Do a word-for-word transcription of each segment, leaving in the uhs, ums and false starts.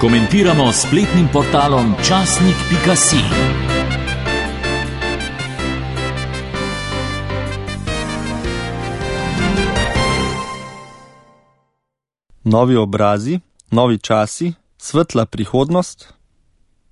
Komentiramo s spletnim portalom časnik pika si. Novi obrazi, novi časi, svetla prihodnost.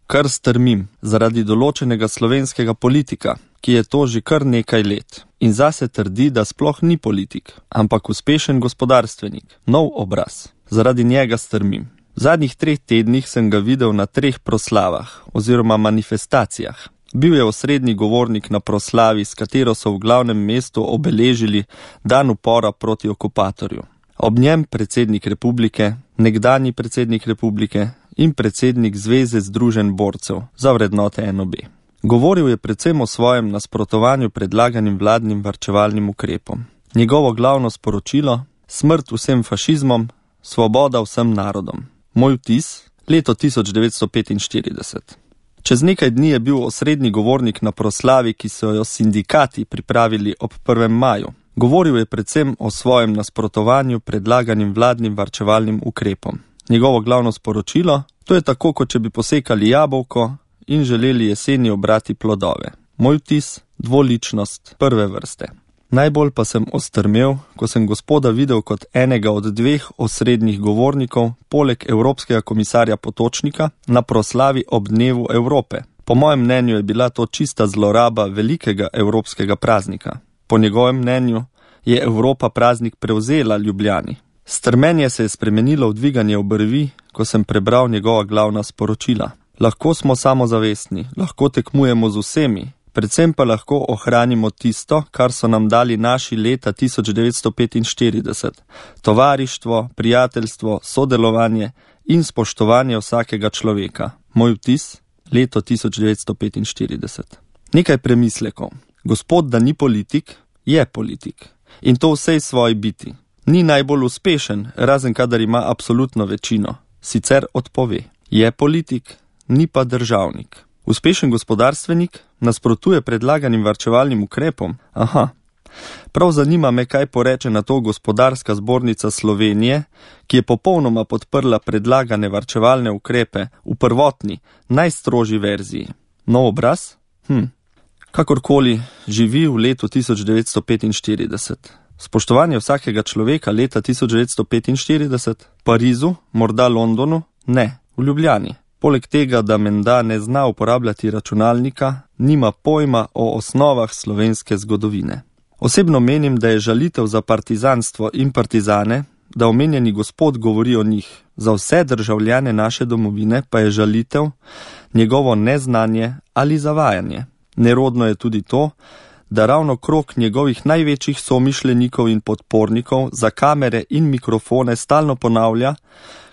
Kar strmim zaradi določenega slovenskega politika, ki je to že kar nekaj let in zase trdi, da sploh ni politik, ampak uspešen gospodarstvenik, nov obraz. Zaradi njega strmim. V zadnjih treh tednih sem ga videl na treh proslavah oziroma manifestacijah. Bil je osrednji govornik na proslavi, s katero so v glavnem mestu obeležili dan upora proti okupatorju. Ob njem predsednik republike, nekdanji predsednik republike in predsednik Zveze združenj borcev za vrednote en o be. Govoril je predvsem o svojem nasprotovanju predlaganim vladnim varčevalnim ukrepom. Njegovo glavno sporočilo: smrt vsem fašizmom, svoboda vsem narodom. Moj vtis: leto tisoč devetsto petinštirideset. Čez nekaj dni je bil osrednji govornik na proslavi, ki so jo sindikati pripravili ob prvem maju. Govoril je predvsem o svojem nasprotovanju predlaganim vladnim varčevalnim ukrepom. Njegovo glavno sporočilo: to je tako, kot če bi posekali jabolko in želeli jeseni obrati plodove. Moj vtis: dvoličnost prve vrste. Najbolj pa sem ostrmel, ko sem gospoda videl kot enega od dveh osrednjih govornikov, poleg Evropskega komisarja Potočnika, na proslavi ob dnevu Evrope. Po mojem mnenju je bila to čista zloraba velikega evropskega praznika. Po njegovem mnenju je Evropa praznik prevzela Ljubljani. Strmenje se je spremenilo v dviganje obrvi, ko sem prebral njegova glavna sporočila. Lahko smo samozavestni, lahko tekmujemo z vsemi, predvsem pa lahko ohranimo tisto, kar so nam dali naši leta tisoč devetsto petinštirideset. Tovarištvo, prijateljstvo, sodelovanje in spoštovanje vsakega človeka. Moj vtis: leto tisoč devetsto petinštirideset. Nekaj premislekov. Gospod, da ni politik, je politik. In to vsej svoji biti. Ni najbolj uspešen, razen kadar ima absolutno večino. Sicer odpove. Je politik, ni pa državnik. Uspešen gospodarstvenik nasprotuje predlaganim varčevalnim ukrepom. Aha. Prav zanima me, kaj poreče na to Gospodarska zbornica Slovenije, ki je popolnoma podprla predlagane varčevalne ukrepe v prvotni, najstrožji verziji. Nov obraz? Hm. Kakorkoli, živi v letu tisoč devetsto petinštirideset. Spoštovanje vsakega človeka leta tisoč devetsto petinštirideset, Parizu, morda Londonu, ne, v Ljubljani. Poleg tega, da menda ne zna uporabljati računalnika, nima pojma o osnovah slovenske zgodovine. Osebno menim, da je žalitev za partizanstvo in partizane, da omenjeni gospod govori o njih. Za vse državljane naše domovine pa je žalitev njegovo neznanje ali zavajanje. Nerodno je tudi to, da ravno krog njegovih največjih somišljenikov in podpornikov za kamere in mikrofone stalno ponavlja,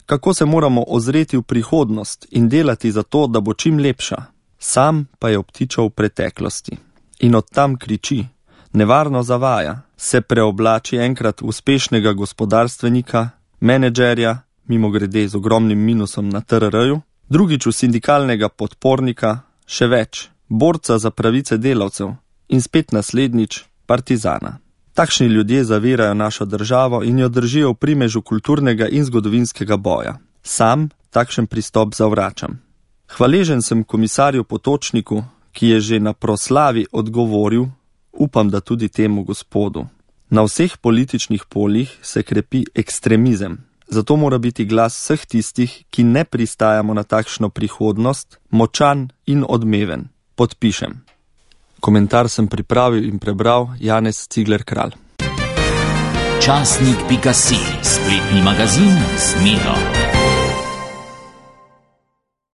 kako se moramo ozreti v prihodnost in delati za to, da bo čim lepša. Sam pa je obtičal v preteklosti. In od tam kriči, nevarno zavaja, se preoblači enkrat v uspešnega gospodarstvenika, menedžerja, mimogrede z ogromnim minusom na te er er-ju, drugič v sindikalnega podpornika, še več, borca za pravice delavcev in spet naslednjič partizana. Takšni ljudje zavirajo našo državo in jo držijo v primežu kulturnega in zgodovinskega boja. Sam takšen pristop zavračam. Hvaležen sem komisarju Potočniku, ki je že na proslavi odgovoril, upam, da tudi temu gospodu. Na vseh političnih poljih se krepi ekstremizem. Zato mora biti glas vseh tistih, ki ne pristajamo na takšno prihodnost, močan in odmeven. Podpišem. Komentar sem pripravil in prebral Janez Cigler Kralj. časnik pika si, spletni magazin z Miro.